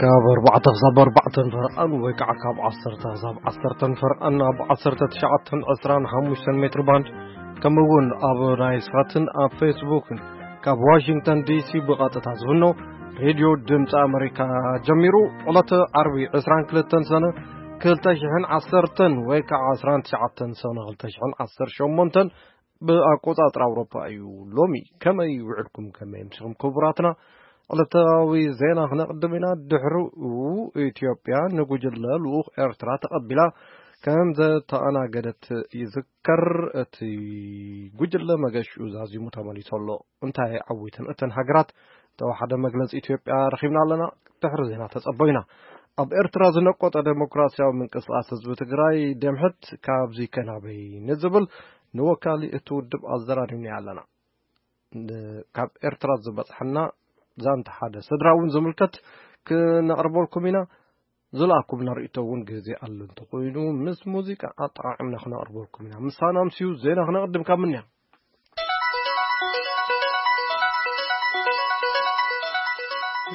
ካብ ኣርባዕተ ክሳብ ኣርባዕተን ፈርቓን ወይ ከዓ ካብ ዓሰርተ ክሳብ ዓሰርተን ፈርቓን ኣብ ዓሰርተ ትሽዓተን ዕስራን ሓሙሽተን ሜትር ባንድ፣ ከምኡ እውን ኣብ ናይል ሳትን ኣብ ፌስቡክን ካብ ዋሽንግተን ዲሲ ብቐጥታ ዝፍኖ ሬድዮ ድምፂ ኣመሪካ ጀሚሩ። ዕለተ ዓርቢ ዕስራን ክልተን ሰነ ክልተ ሽሕን ዓሰርተን ወይ ከዓ ዕስራን ትሽዓተን ሰነ ክልተ ሽሕን ዓሰርተ ሸሞንተን ብኣቆጻጽራ ኣውሮፓ እዩ። ሎሚ ከመይ ውዕልኩም? ከመይ ምሽኹም ክቡራትና? ዕለታዊ ዜና ክነቕድም ኢና። ድሕሪኡ ኢትዮጵያ ንጉጅለ ልኡኽ ኤርትራ ተቐቢላ ከም ዘተኣናገደት ይዝከር። እቲ ጉጅለ መገሽኡ ዛዚሙ ተመሊሱ ኣሎ። እንታይ ዓዊተን እተን ሃገራት? ተወሓደ መግለጺ ኢትዮጵያ ረኺብና ኣለና። ድሕሪ ዜና ተጸበዩና። ኣብ ኤርትራ ዝነቆጠ ዴሞክራሲያዊ ምንቅስቃስ ህዝቢ ትግራይ፣ ደምሕት፣ ካብዚ ከናበይ ንዝብል ንወካሊ እቲ ውድብ ኣዘራሪብና ኣለና። ን-፣ ካብ ኤርትራ ዝበጽሐና ዛንታ ሓደ ስድራ እውን ዝምልከት ክነቕርበልኩም ኢና። ዝለኣኩምና ርእይቶ እውን ግዜ ኣሎ እንተኾይኑ ምስ ሙዚቃ ኣጠቓቒምና ክነቕርበልኩም ኢና። ምሳና ኣምስዩ ዜና ክነቕድም ካብ ምንያ።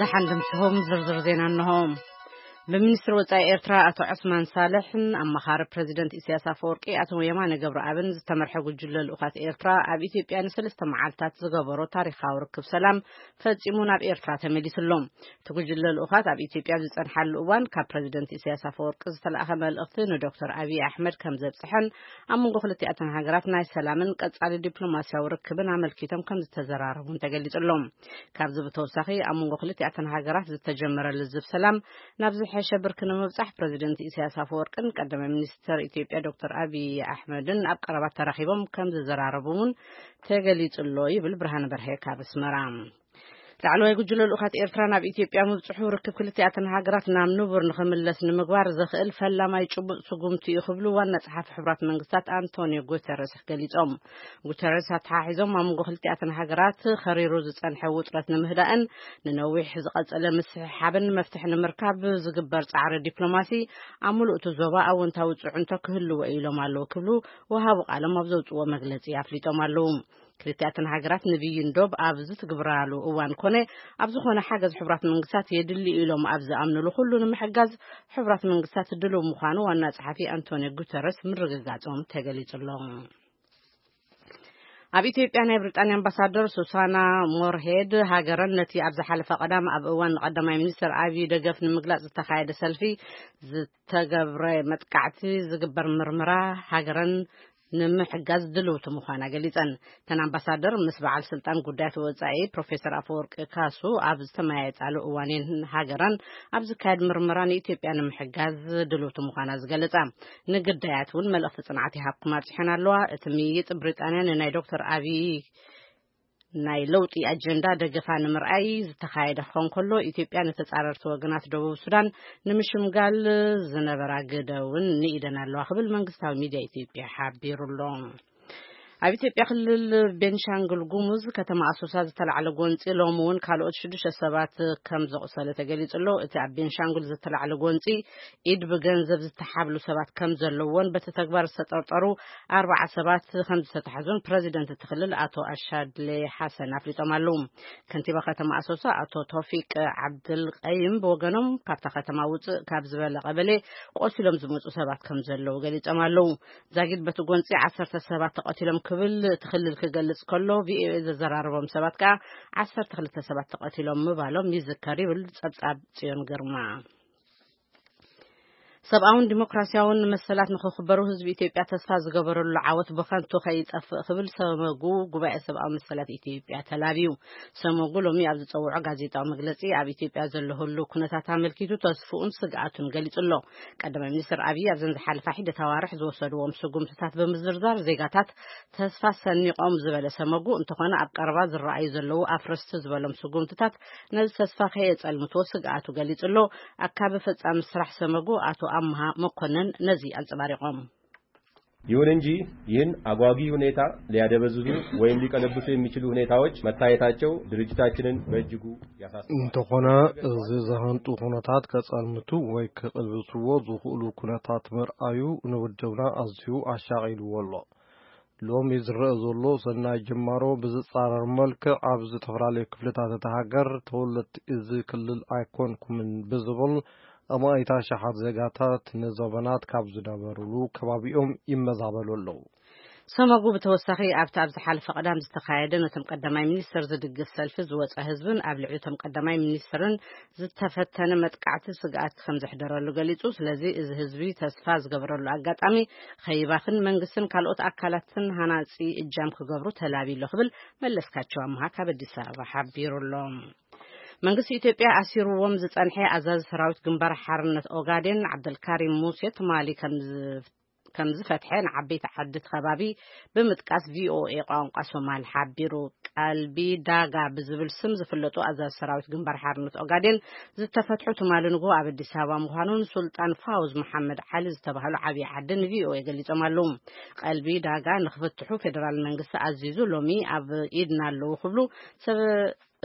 ደሓን ድምስኹም ዝርዝር ዜና እንሆ። ብሚኒስትሪ ወጻኢ ኤርትራ ኣቶ ዑስማን ሳልሕን ኣማኻሪ ፕረዚደንት ኢሳያስ ኣፈወርቂ ኣቶ የማነ ገብረኣብን ዝተመርሐ ጉጅለ ልኡኻት ኤርትራ ኣብ ኢትዮጵያ ንሰለስተ መዓልታት ዝገበሮ ታሪኻዊ ርክብ ሰላም ፈጺሙ ናብ ኤርትራ ተመሊሱ ኣሎ። እቲ ጉጅለ ልኡኻት ኣብ ኢትዮጵያ ኣብ ዝጸንሓሉ እዋን ካብ ፕረዚደንት ኢሳያስ ኣፈወርቂ ዝተላእኸ መልእኽቲ ንዶክተር ኣብይ ኣሕመድ ከም ዘብጽሐን ኣብ መንጎ ክልቲኣተን ሃገራት ናይ ሰላምን ቀጻሊ ዲፕሎማስያዊ ርክብን ኣመልኪቶም ከም ዝተዘራረቡን ተገሊጹ ኣሎ። ካብዚ ብተወሳኺ ኣብ መንጎ ክልቲኣተን ሃገራት ዝተጀመረ ልዝብ ሰላም ናብ ዝሐሸ ብርኪ ንምብጻሕ ፕረዚደንት ኢሳያስ ኣፈወርቅን ቀዳማይ ሚኒስተር ኢትዮጵያ ዶክተር ኣብይ ኣሕመድን ኣብ ቀረባ ተራኺቦም ከም ዝዘራረቡ እውን ተገሊጹ ኣሎ ይብል ብርሃነ በርሀ ካብ ኣስመራ። ላዕለዋይ ጉጅለ ልኡኻት ኤርትራ ናብ ኢትዮጵያ ምብጽሑ ርክብ ክልቲኣተን ሃገራት ናብ ንቡር ንኽምለስ ንምግባር ዘኽእል ፈላማይ ጭቡጥ ስጉምቲ እዩ ክብሉ ዋና ጸሓፊ ሕቡራት መንግስታት ኣንቶኒዮ ጉተረስ ገሊጾም። ጉተረስ ኣተሓሒዞም ኣብ መንጎ ክልቲኣተን ሃገራት ኸሪሩ ዝጸንሐ ውጥረት ንምህዳእን ንነዊሕ ዝቐጸለ ምስሕሓብን መፍትሒ ንምርካብ ዝግበር ጻዕሪ ዲፕሎማሲ ኣብ ምሉእ እቲ ዞባ ኣወንታዊ ጽዕንቶ ክህልዎ ኢሎም ኣለዉ ክብሉ ወሃቢ ቃሎም ኣብ ዘውጽዎ መግለጺ ኣፍሊጦም ኣለዉ። ክልቲኣተን ሃገራት ንብይን ዶብ ኣብ ዝትግብራሉ እዋን ኮነ ኣብ ዝኾነ ሓገዝ ሕቡራት መንግስታት የድሊ ኢሎም ኣብ ዝኣምንሉ ኩሉ ንምሕጋዝ ሕቡራት መንግስታት ድሉው ምዃኑ ዋና ጸሓፊ ኣንቶኒዮ ጉተረስ ምርግጋጾም ተገሊጹ ኣሎ። ኣብ ኢትዮጵያ ናይ ብሪጣንያ ኣምባሳደር ሱሳና ሞርሄድ ሃገረን ነቲ ኣብ ዝሓለፈ ቀዳም ኣብ እዋን ቀዳማይ ሚኒስትር ኣብይ ደገፍ ንምግላጽ ዝተኻየደ ሰልፊ ዝተገብረ መጥቃዕቲ ዝግበር ምርመራ ሃገረን ንምሕጋዝ ድልውቲ ምዃና ገሊጸን። እተን ኣምባሳደር ምስ በዓል ስልጣን ጉዳያት ወጻኢ ፕሮፌሰር ኣፈወርቂ ካሱ ኣብ ዝተመያየጣሉ እዋን እየን ሃገረን ኣብ ዝካየድ ምርመራ ንኢትዮጵያ ንምሕጋዝ ድልውቲ ምዃና ዝገለጻ። ንግዳያት እውን መልእኽቲ ጽንዓት ይሃብኩም ኣብጽሐን ኣለዋ። እቲ ምይይጥ ብሪጣንያ ንናይ ዶክተር ኣብይ ናይ ለውጢ ኣጀንዳ ደገፋ ንምርኣይ ዝተኻየደ ክኸውን ከሎ፣ ኢትዮጵያ ንተጻረርቲ ወገናት ደቡብ ሱዳን ንምሽምጋል ዝነበራ ግደ እውን ንኢደን ኣለዋ ክብል መንግስታዊ ሚድያ ኢትዮጵያ ሓቢሩ ኣሎ። ኣብ ኢትዮጵያ ክልል ቤንሻንጉል ጉሙዝ ከተማ ኣሶሳ ዝተላዕለ ጎንፂ ሎሚ እውን ካልኦት ሽዱሽተ ሰባት ከም ዘቑሰለ ተገሊጹ ኣሎ። እቲ ኣብ ቤንሻንጉል ዝተላዕለ ጎንፂ ኢድ ብገንዘብ ዝተሓብሉ ሰባት ከም ዘለዎን በቲ ተግባር ዝተጠርጠሩ ኣርባዓ ሰባት ከም ዝተታሕዙን ፕረዚደንት እቲ ክልል ኣቶ ኣሻድሌ ሓሰን ኣፍሊጦም ኣለዉ። ከንቲባ ከተማ ኣሶሳ ኣቶ ቶፊቅ ዓብድል ቀይም ብወገኖም፣ ካብታ ከተማ ውፅእ ካብ ዝበለ ቀበሌ ቆሲሎም ዝመፁ ሰባት ከም ዘለዉ ገሊጾም ኣለዉ። ዛጊድ በቲ ጎንፂ ዓሰርተ ሰባት ተቐቲሎም ክብል እቲ ክልል ክገልጽ ከሎ፣ ቪኦኤ ዘዘራረቦም ሰባት ከኣ ዓሰርተ ክልተ ሰባት ተቐቲሎም ምባሎም ይዝከር ይብል ጸብጻብ ጽዮን ግርማ። ሰብኣውን ዲሞክራሲያውን መሰላት ንኽኽበሩ ህዝቢ ኢትዮጵያ ተስፋ ዝገበረሉ ዓወት ብኸንቱ ከይጠፍእ ክብል ሰመጉ ጉባኤ ሰብኣዊ መሰላት ኢትዮጵያ ተላብዩ። ሰመጉ ሎሚ ኣብ ዝጸውዖ ጋዜጣዊ መግለጺ ኣብ ኢትዮጵያ ዘሎ ህሉው ኩነታት ኣመልኪቱ ተስፍኡን ስግኣቱን ገሊጹ ኣሎ። ቀዳማይ ሚኒስትር ኣብይ ኣብዘን ዝሓለፋ ሒደት ኣዋርሕ ዝወሰድዎም ስጉምትታት ብምዝርዛር ዜጋታት ተስፋ ሰኒቖም ዝበለ ሰመጉ፣ እንተኾነ ኣብ ቀረባ ዝረኣዩ ዘለዉ ኣፍረስቲ ዝበሎም ስጉምትታት ነዚ ተስፋ ከየጸልምትዎ ስግኣቱ ገሊጹ ኣሎ። ኣካቢ ፈጻሚ ስራሕ ሰመጉ ኣቶ ኣምሃ መኮነን ነዚ ኣንጸባሪቖም። ይሁን እንጂ ይህን አጓጊ ሁኔታ ሊያደበዝዙ ወይም ሊቀለብሱ የሚችሉ ሁኔታዎች መታየታቸው ድርጅታችንን በእጅጉ ያሳስባል። እንተኾነ፣ እዚ ዘሃንጡ ኩነታት ከጸልምቱ ወይ ክቕልብስዎ ዝኽእሉ ኩነታት ምርኣዩ ንውድብና ኣዝዩ ኣሻቒልዎ ኣሎ። ሎሚ ዝረአ ዘሎ ሰናይ ጅማሮ ብዝጻረር መልክዕ፣ ኣብ ዝተፈላለዩ ክፍልታት እታ ሃገር ተወለድቲ እዚ ክልል ኣይኮንኩምን ብዝብል ኣማኢት ኣሽሓት ዜጋታት ንዘበናት ካብ ዝነበሩሉ ከባቢኦም ይመዛበሉ ኣለዉ። ሰመጉ ብተወሳኺ ኣብቲ ኣብ ዝሓለፈ ቀዳም ዝተኻየደ ነቶም ቀዳማይ ሚኒስተር ዝድግፍ ሰልፊ ዝወፀ ህዝብን ኣብ ልዕሊ እቶም ቀዳማይ ሚኒስተርን ዝተፈተነ መጥቃዕቲ ስግኣት ከም ዘሕደረሉ ገሊጹ። ስለዚ እዚ ህዝቢ ተስፋ ዝገበረሉ ኣጋጣሚ ከይባኽን መንግስትን ካልኦት ኣካላትን ሃናጺ እጃም ክገብሩ ተላብዩ ኣሎ ክብል መለስካቸው ኣምሃ ካብ ኣዲስ ኣበባ ሓቢሩ ኣሎ። መንግስቲ ኢትዮጵያ ኣሲርዎም ዝጸንሐ ኣዛዚ ሰራዊት ግንባር ሓርነት ኦጋዴን ዓብደልካሪም ሙሴ ትማሊ ከም ከም ዝፈትሐ ንዓበይቲ ዓዲ እቲ ከባቢ ብምጥቃስ ቪኦኤ ቋንቋ ሶማል ሓቢሩ። ቀልቢ ዳጋ ብዝብል ስም ዝፍለጡ ኣዛዚ ሰራዊት ግንባር ሓርነት ኦጋዴን ዝተፈትሑ ትማሊ ንግሆ ኣብ ኣዲስ ኣበባ ምዃኑን ሱልጣን ፋውዝ መሓመድ ዓሊ ዝተባህሉ ዓብዪ ዓዲ ንቪኦኤ ገሊጾም ኣለዉ። ቀልቢ ዳጋ ንክፍትሑ ፌደራል መንግስቲ ኣዚዙ ሎሚ ኣብ ኢድና ኣለዉ ክብሉ ሰብ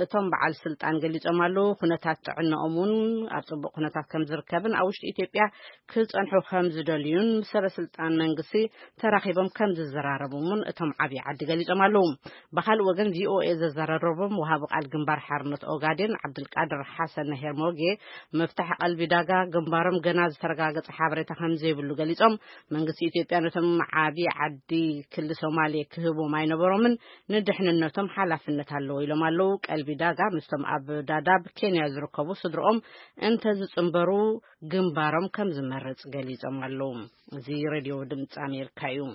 እቶም በዓል ስልጣን ገሊጾም ኣለዉ። ኩነታት ጥዕናኦም እውን ኣብ ጽቡቕ ኩነታት ከም ዝርከብን ኣብ ውሽጢ ኢትዮጵያ ክጸንሑ ከም ዝደልዩን ምስ ሰበ ስልጣን መንግስቲ ተራኺቦም ከም ዝዘራረቡ እውን እቶም ዓብዪ ዓዲ ገሊጾም ኣለዉ። ብኻልእ ወገን ቪኦኤ ዘዘራረቦም ወሃቢ ቃል ግንባር ሓርነት ኦጋዴን ዓብድልቃድር ሓሰን ሄርሞጌ ምፍታሕ ቀልቢ ዳጋ ግንባሮም ገና ዝተረጋገጸ ሓበሬታ ከም ዘይብሉ ገሊጾም መንግስቲ ኢትዮጵያ ነቶም ዓብዪ ዓዲ ክሊ ሶማሌ ክህቦም ኣይነበሮምን ንድሕንነቶም ሓላፍነት ኣለዎ ኢሎም ኣለዉ። ቀልቢ ዳጋ ምስቶም ኣብ ዳዳብ ኬንያ ዝርከቡ ስድርኦም እንተ ዝጽንበሩ ግንባሮም ከም ዝመርጽ ገሊጾም ኣለዉ። እዚ ሬድዮ ድምፂ ኣሜሪካ እዩ።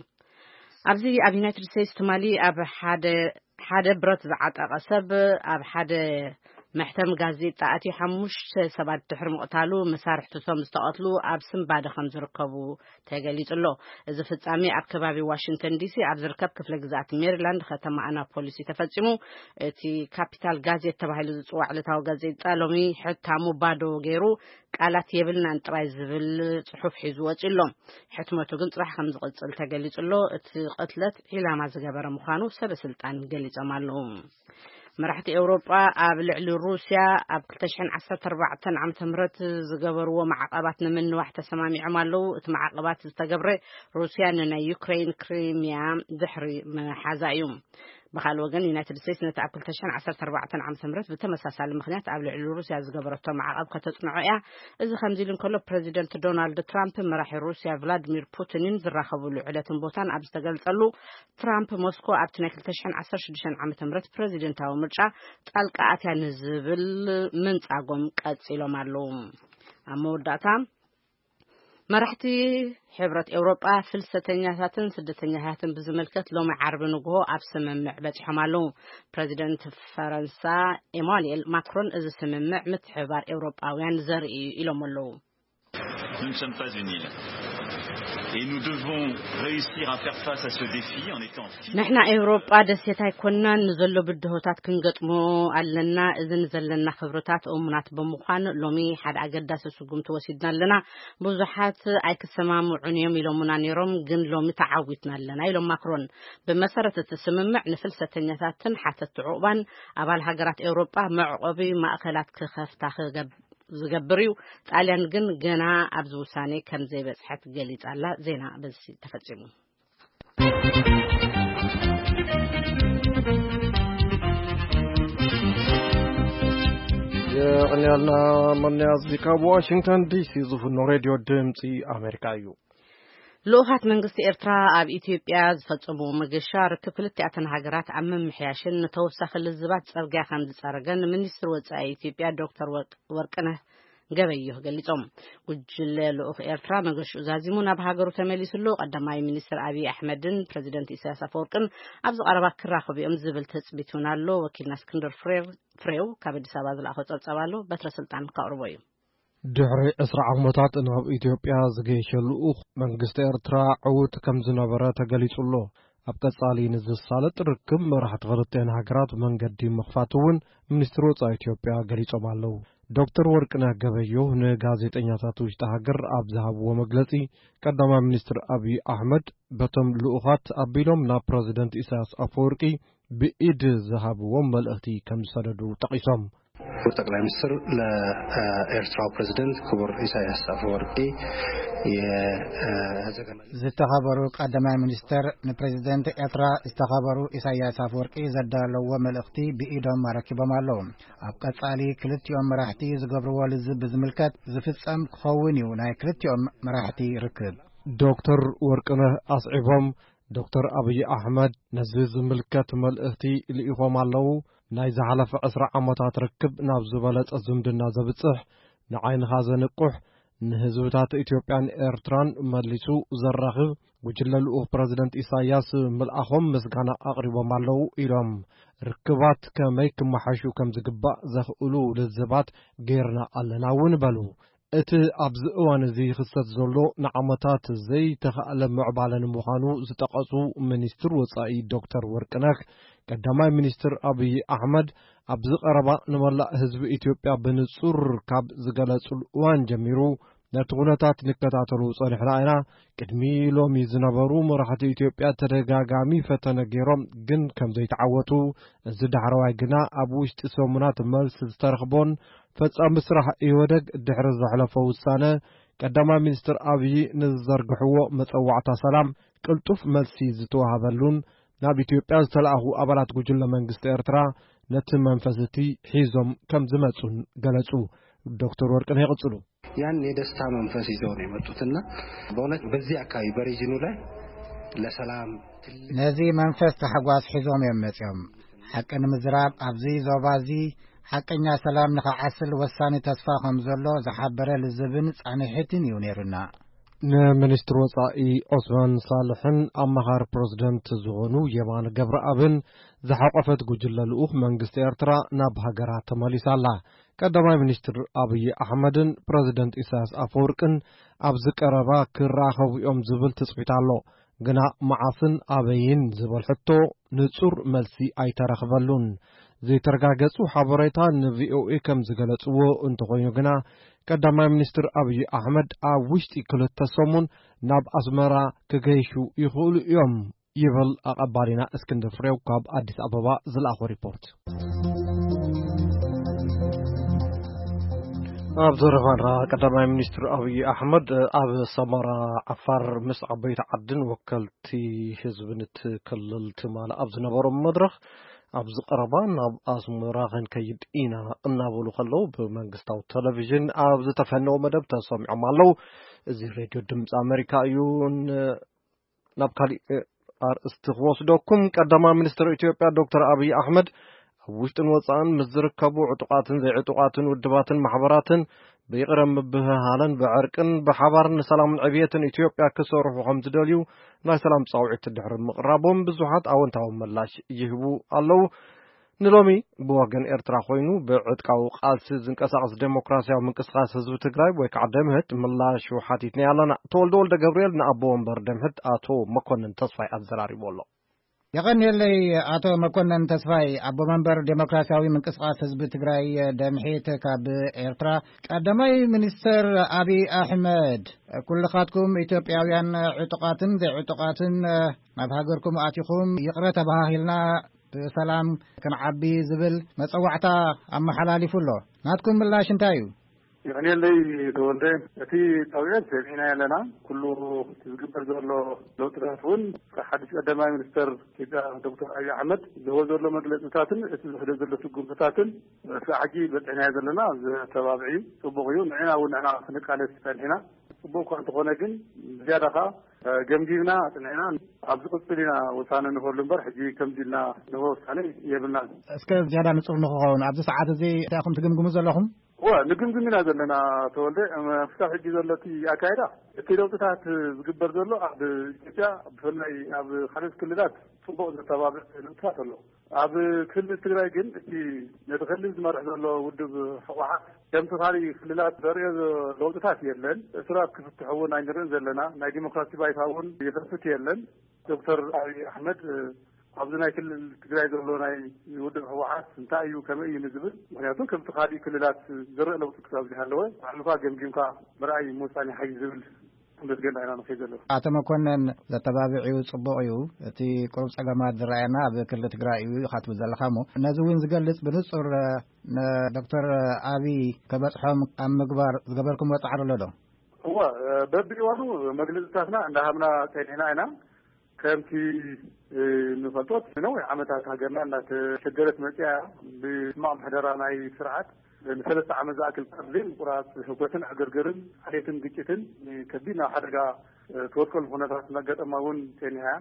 ኣብዚ ኣብ ዩናይትድ ስቴትስ ትማሊ ኣብ ሓደ ሓደ ብረት ዝዓጠቐ ሰብ ኣብ ሓደ መሕተም ጋዜጣ ኣትዩ ሓሙሽተ ሰባት ድሕሪ ምቕታሉ መሳርሕትቶም ዝተቐትሉ ኣብ ስንባደ ከም ዝርከቡ ተገሊጹ ኣሎ። እዚ ፍጻሜ ኣብ ከባቢ ዋሽንግተን ዲሲ ኣብ ዝርከብ ክፍለ ግዝኣት ሜሪላንድ ከተማ ኣናፖሊስ እዩ ተፈጺሙ። እቲ ካፒታል ጋዜት ተባሂሉ ዝጽዋዕ ዕለታዊ ጋዜጣ ሎሚ ሕታሙ ባዶ ገይሩ ቃላት የብልናን ጥራይ ዝብል ጽሑፍ ሒዙ ወጺኡ ኣሎ። ሕትመቱ ግን ጽባሕ ከም ዝቕጽል ተገሊጹ ኣሎ። እቲ ቅትለት ዒላማ ዝገበረ ምዃኑ ሰበ ስልጣን ገሊጾም ኣለዉ። መራሕቲ ኤውሮጳ ኣብ ልዕሊ ሩስያ ኣብ ክልተ ሽሕን ዓሰርተ ኣርባዕተን ዓመተ ምህረት ዝገበርዎ ማዕቐባት ንምንዋሕ ተሰማሚዖም ኣለዉ። እቲ ማዕቐባት ዝተገብረ ሩስያ ንናይ ዩክሬን ክሪሚያ ድሕሪ ምሓዛ እዩ። ብኻልእ ወገን ዩናይትድ ስቴትስ ነቲ ኣብ ክልተ ሽሕን ዓሰርተ ኣርባዕተን ዓመተ ምህረት ብተመሳሳሊ ምኽንያት ኣብ ልዕሊ ሩስያ ዝገበረቶ ማዕቐብ ከተጽንዖ እያ። እዚ ከምዚ ኢሉ እንከሎ ፕሬዚደንት ዶናልድ ትራምፕ መራሒ ሩስያ ቭላድሚር ፑቲንን ዝራኸብሉ ዕለትን ቦታን ኣብ ዝተገልጸሉ ትራምፕ ሞስኮ ኣብቲ ናይ ክልተ ሽሕን ዓሰርተ ሽዱሽተን ዓመተ ምህረት ፕሬዚደንታዊ ምርጫ ጣልቃ ኣትያ ንዝብል ምንጻጎም ቀጺሎም ኣለዉ። ኣብ መወዳእታ መራሕቲ ሕብረት ኤውሮጳ ፍልሰተኛታትን ስደተኛታትን ብዝምልከት ሎሚ ዓርቢ ንግሆ ኣብ ስምምዕ በጺሖም ኣለዉ። ፕሬዚደንት ፈረንሳ ኤማኑኤል ማክሮን እዚ ስምምዕ ምትሕብባር ኤውሮጳውያን ዘርኢ እዩ ኢሎም ኣለዉ። Nous ne sommes pas une île. Et nous devons réussir à faire face à ce défi en étant ንሕና ኤውሮጳ ደሴት ኣይኮናን። ንዘሎ ብድሆታት ክንገጥሞ ኣለና። እዚ ንዘለና ክብርታት እሙናት ብምዃን ሎሚ ሓደ ኣገዳሲ ስጉምቲ ወሲድና ኣለና። ብዙሓት ኣይክሰማምዑን እዮም ኢሎምና ነይሮም፣ ግን ሎሚ ተዓዊትና ኣለና ኢሎም ማክሮን። ብመሰረት እቲ ስምምዕ ንፍልሰተኛታትን ሓተትቲ ዑቕባን ኣባል ሃገራት ኤውሮጳ መዕቆቢ ማእኸላት ክኸፍታ ክገብ ዝገብር እዩ። ጣልያን ግን ገና ኣብዚ ውሳኔ ከም ዘይበጽሐት ገሊጻ ኣላ። ዜና በዚ ተፈጺሙ። የቕንያልና መንያዝ ካብ ዋሽንግተን ዲሲ ዝፍኖ ሬድዮ ድምፂ ኣሜሪካ እዩ። ልኡኻት መንግስቲ ኤርትራ ኣብ ኢትዮጵያ ዝፈጸምዎ መገሻ ርክብ ክልቲኣተን ሃገራት ኣብ ምምሕያሽን ንተወሳኺ ልዝባት ጸርግያ ከም ዝጸረገን ሚኒስትሪ ወጻኢ ኢትዮጵያ ዶክተር ወርቅ- ወርቅነህ ገበየሁ ገሊጾም። ጉጅለ ልኡኽ ኤርትራ መገሽኡ ዛዚሙ ናብ ሃገሩ ተመሊሱ ኣሎ። ቀዳማይ ሚኒስትር ኣብይ ኣሕመድን ፕሬዚደንት ኢሳያስ ኣፈወርቅን ኣብዚ ቀረባ ክራኸቡ እዮም ዝብል ትጽቢት እውን ኣሎ። ወኪልና እስክንድር ፍሬው ፍሬው ካብ ኣዲስ ኣበባ ዝለኣኾ ጸብጻብ ኣሎ። በትረ ስልጣን ከቕርቦ እዩ። ድሕሪ ዕስራ ዓመታት ናብ ኢትዮጵያ ዝገየሸ ልኡኽ መንግስቲ ኤርትራ ዕዉት ከም ዝነበረ ተገሊጹ ኣሎ። ኣብ ቀጻሊ ንዝሳለጥ ርክብ መራሕቲ ክልቲኣን ሃገራት መንገዲ ምኽፋት እውን ሚኒስትሪ ወጻኢ ኢትዮጵያ ገሊጾም ኣለዉ። ዶክተር ወርቅነህ ገበየሁ ንጋዜጠኛታት ውሽጢ ሃገር ኣብ ዝሃብዎ መግለጺ፣ ቀዳማይ ሚኒስትር ኣብይ ኣሕመድ በቶም ልኡኻት ኣቢሎም ናብ ፕረዚደንት ኢሳያስ ኣፈወርቂ ብኢድ ዝሃብዎም መልእኽቲ ከም ዝሰደዱ ጠቒሶም። ክቡር ጠቅላይ ሚኒስትር፣ ለኤርትራው ፕሬዝደንት ክቡር ኢሳያስ አፈወርቂ የዘገመ ዝተኸበሩ ቀዳማይ ሚኒስተር፣ ንፕሬዝደንት ኤርትራ ዝተኸበሩ ኢሳያስ ኣፈወርቂ ዘዳለዎ መልእኽቲ ብኢዶም ኣረኪቦም ኣለዉ። ኣብ ቀጻሊ ክልቲኦም መራሕቲ ዝገብርዎ ልዝብ ብዝምልከት ዝፍጸም ክኸውን እዩ ናይ ክልቲኦም መራሕቲ ርክብ። ዶክተር ወርቅነህ ኣስዒቦም፣ ዶክተር ኣብይ ኣሕመድ ነዚ ዝምልከት መልእኽቲ ልኢኾም ኣለዉ። ናይ ዝሓለፈ ዕስራ ዓመታት ርክብ ናብ ዝበለጸ ዝምድና ዘብጽሕ፣ ንዓይንኻ ዘንቁሕ፣ ንህዝብታት ኢትዮጵያን ኤርትራን መሊሱ ዘራኽብ ጉጅለ ልኡኽ ፕረዚደንት ኢሳያስ ምልኣኾም ምስጋና ኣቕሪቦም ኣለዉ ኢሎም። ርክባት ከመይ ክመሓሹ ከም ዝግባእ ዘኽእሉ ልዝባት ጌርና ኣለና እውን በሉ። እቲ ኣብዚ እዋን እዚ ይኽሰት ዘሎ ንዓመታት ዘይተኻእለ ምዕባለ ንምዃኑ ዝጠቐሱ ሚኒስትር ወጻኢ ዶክተር ወርቅነህ፣ ቀዳማይ ሚኒስትር ኣብይ ኣሕመድ ኣብዚ ቀረባ ንመላእ ህዝቢ ኢትዮጵያ ብንጹር ካብ ዝገለጹሉ እዋን ጀሚሩ፣ ነቲ ኩነታት ንከታተሎ ጸኒሕና ኢና። ቅድሚ ሎሚ ዝነበሩ መራሕቲ ኢትዮጵያ ተደጋጋሚ ፈተነ ገይሮም፣ ግን ከም ዘይተዓወቱ፣ እዚ ዳሕረዋይ ግና ኣብ ውሽጢ ሰሙናት መልሲ ዝተረኽቦን ፈጻሚ ስራሕ ኢህወደግ ድሕሪ ዘሕለፎ ውሳነ፣ ቀዳማይ ሚኒስትር ኣብይ ንዝዘርግሕዎ መጸዋዕታ ሰላም ቅልጡፍ መልሲ ዝተዋህበሉን ናብ ኢትዮጵያ ዝተላእኹ ኣባላት ጉጅለ መንግስቲ ኤርትራ ነቲ መንፈስ እቲ ሒዞም ከም ዝመጹን ገለጹ። ዶክተር ወርቅነህ ይቕጽሉ። ያን የደስታ መንፈስ ይዘው ነው የመጡትና በእውነት በዚህ አካባቢ በሪጅኑ ላይ ለሰላም ትልቅ ነዚ መንፈስ ታሕጓስ ሒዞም እዮም መጺኦም። ሓቂ ንምዝራብ ኣብዚ ዞባ እዚ ሓቀኛ ሰላም ንኸዓስል ወሳኒ ተስፋ ከም ዘሎ ዝሓበረ ልዝብን ጻንሒትን እዩ ነይሩና። ንሚኒስትር ወጻኢ ዑስማን ሳልሕን ኣማኻሪ ፕረዚደንት ዝኾኑ የማነ ገብረኣብን ዝሓቆፈት ጉጅለ ልኡኽ መንግስቲ ኤርትራ ናብ ሃገራ ተመሊሳ ኣላ። ቀዳማይ ሚኒስትር ኣብይ ኣሕመድን ፕረዚደንት ኢሳያስ ኣፈወርቅን ኣብዚ ቀረባ ክራኸቡ እዮም ዝብል ትጽቢት ኣሎ። ግና መዓስን ኣበይን ዝበል ሕቶ ንጹር መልሲ ኣይተረኽበሉን። ዘይተረጋገጹ ሓበሬታ ንቪኦኤ ከም ዝገለጽዎ እንተኾይኑ ግና፣ ቀዳማይ ሚኒስትር ኣብይ ኣሕመድ ኣብ ውሽጢ ክልተ ሰሙን ናብ ኣስመራ ክገይሹ ይኽእሉ እዮም ይብል ኣቐባሊና እስክንድር ፍሬው ካብ ኣዲስ ኣበባ ዝለኣኾ ሪፖርት። ኣብ ዘረባና፣ ቀዳማይ ሚኒስትር ኣብይ ኣሕመድ ኣብ ሰመራ ዓፋር ምስ ዓበይቲ ዓድን ወከልቲ ህዝብን እቲ ክልል ትማሊ ኣብ ዝነበሮም መድረኽ፣ ኣብዚ ቀረባ ናብ ኣስመራ ክንከይድ ኢና እናበሉ ከለዉ ብመንግስታዊ ቴሌቪዥን ኣብ ዝተፈነወ መደብ ተሰሚዖም ኣለዉ። እዚ ሬድዮ ድምፂ ኣሜሪካ እዩ። ን-፣ ናብ ካሊእ ኣርእስቲ ክወስደኩም። ቀዳማይ ሚኒስትር ኢትዮጵያ ዶክተር ኣብይ ኣሕመድ ኣብ ውሽጥን ወፃእን ምስ ዝርከቡ ዕጡቓትን ዘይዕጡቓትን ውድባትን ማሕበራትን ብይቕረ ምብህሃልን ብዕርቅን ብሓባር ንሰላምን ዕብየትን ኢትዮጵያ ክሰርሑ ከም ዝደልዩ ናይ ሰላም ጻውዒት ድሕሪ ምቕራቦም ብዙሓት ኣወንታዊ ምላሽ ይህቡ ኣለዉ። ንሎሚ ብወገን ኤርትራ ኮይኑ ብዕጥቃዊ ቃልሲ ዝንቀሳቐስ ዴሞክራሲያዊ ምንቅስቓስ ህዝቢ ትግራይ ወይ ከዓ ደምህት ምላሹ ሓቲትና ኣለና። ተወልደ ወልደ ገብርኤል ንኣቦ ወንበር ደምህት ኣቶ መኮንን ተስፋይ ኣዘራሪቡ ኣሎ። የቐንየለይ ኣቶ መኮንን ተስፋይ፣ ኣቦ መንበር ዴሞክራሲያዊ ምንቅስቓስ ህዝቢ ትግራይ ደምሒት ካብ ኤርትራ። ቀዳማይ ሚኒስትር ኣብይ ኣሕመድ፣ ኩልኻትኩም ኢትዮጵያውያን ዕጡቓትን ዘይዕጡቓትን ናብ ሃገርኩም ኣቲኹም ይቕረ ተባሃሂልና ብሰላም ክንዓቢ ዝብል መጸዋዕታ ኣመሓላሊፉ ኣሎ። ናትኩም ምላሽ እንታይ እዩ? ይቕንየለይ ተወልደ፣ እቲ ጻውዒት ሰሚዕናዮ ኣለና። ኩሉ እቲ ዝግበር ዘሎ ለውጥታት እውን ካብ ሓድሽ ቀዳማይ ሚኒስተር ኢትዮጵያ ዶክተር ኣብይ ኣሕመድ ዝህቦ ዘሎ መግለጽታትን እቲ ዝሕዶ ዘሎ ስጉምትታትን እስካዕ ሕጂ በጺሕናዮ ዘለና ዘተባብዕ እዩ። ጽቡቕ እዩ። ንዕና እውን ንዕና ክንቃለስ ጸኒሕና። ጽቡቕ እኳ እንተኾነ ግን ዝያዳ ኸኣ ገምጊምና ጽኒዕና ኣብ ዝቕጽል ኢና ውሳነ ንህበሉ እምበር፣ ሕጂ ከምዚ ኢልና ንህቦ ውሳነ የብልናን። እስከ ዝያዳ ንጹር ንኽኸውን፣ ኣብዚ ሰዓት እዚ እንታይ ኢኹም ትግምግሙ ዘለኹም? እወ፣ ንግምግም ኢና ዘለና ተወልደ። እም፣ ክሳብ ሕጂ ዘሎ እቲ ኣካይዳ፣ እቲ ለውጥታት ዝግበር ዘሎ ኣብ ኢትዮጵያ፣ ብፍላይ ኣብ ካልኦት ክልላት ጽቡቕ ዘተባብዕ ለውጥታት ኣሎ። ኣብ ክልል ትግራይ ግን እቲ ነቲ ክልል ዝመርሕ ዘሎ ውድብ ህወሓት ከምቲ ካልእ ክልላት ዘርእዮ ለውጥታት የለን። እሱራት ክፍትሑ እውን ኣይንርእን ዘለና። ናይ ዲሞክራሲ ባይታ እውን ይኸፍት የለን። ዶክተር ኣብይ ኣሕመድ ኣብዚ ናይ ክልል ትግራይ ዘሎ ናይ ውድብ ህወሓት እንታይ እዩ፣ ከመይ እዩ ንዝብል፣ ምኽንያቱ ከምቲ ካልእ ክልላት ዝረእ ለውጢ ክሳብ ዘይሃለወ ባዕልኻ ገምጊምካ ምርኣይ ምውሳን ይሓይሽ ዝብል ምስ ገንዳ ኢና ንኸይድ ዘለና። ኣቶ መኮነን፣ ዘተባብዕ እዩ፣ ጽቡቕ እዩ። እቲ ቁሩብ ጸገማት ዝረኣየና ኣብ ክልል ትግራይ እዩ ኢኻ ትብል ዘለኻ እሞ፣ ነዚ እውን ዝገልጽ ብንጹር፣ እ፣ ንዶክተር ኣብይ ከበጽሖም ኣብ ምግባር ዝገበርኩምዎ ጻዕሪ ኣሎ ዶ? እወ፣ እ፣ በብእዋኑ መግለጽታትና እንዳሃብና ጸኒሕና ኢና። ከምቲ፣ እ፣ ንፈልጦ፣ ነዊሕ ዓመታት ሃገርና እንዳተሸገረት መጽያ፣ ብሕማቕ ምሕደራ ናይ ስርዓት ንሰለስተ ዓመት ዝኣክል ካብ ዘይምቁራጽ ህውከትን ዕግርግርን፣ ዓሌትን ግጭትን፣ እ፣ ከቢድ ናብ ሓደጋ፣ እ፣ ትወድቀሉ ኩነታት እናጋጠማ እውን ጸኒሓ እያ።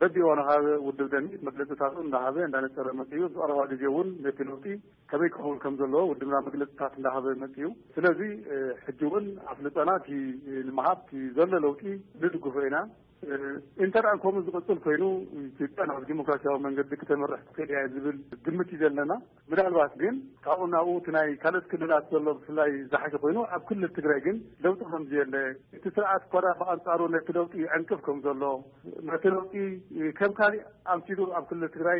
በቢእዋኑ ካብ ውድብ ደምሂት መግለጽታቱ እንዳሃበ እንዳነጸረ መጽዩ። ኣብዚ ቀረባ ግዜ እውን ነቲ ለውጢ ከመይ ክኸውን ከም ዘለዎ ውድብና መግለጽታት እንዳሃበ መጽዩ። ስለዚ፣ እ፣ ሕጂ እውን ኣፍልጠና እቲ፣ እ፣ ንምሃብ እቲ ዘሎ ለውጢ ንድግፎ ኢና። እ፣ እንተ ደኣ ከምኡ ዝቕጽል ኮይኑ፣ ኢትዮጵያ ናብ ዲሞክራሲያዊ መንገዲ ክተምርሕ ትኽእል እያ ዝብል ግምት እዩ ዘለና። ምናልባት ግን ካብኡ ናብኡ እቲ ናይ ካልኦት ክልላት ዘሎ ብፍላይ ዝሓሸ ኮይኑ፣ ኣብ ክልል ትግራይ ግን ለውጢ ከም ዘየለ፣ እቲ ስርዓት እኳ ደኣ ብኣንጻሩ ነቲ ለውጢ ይዕንቅፍ ከም ዘሎ፣ ነቲ ለውጢ ከም ካሊእ ኣምሲሉ ኣብ ክልል ትግራይ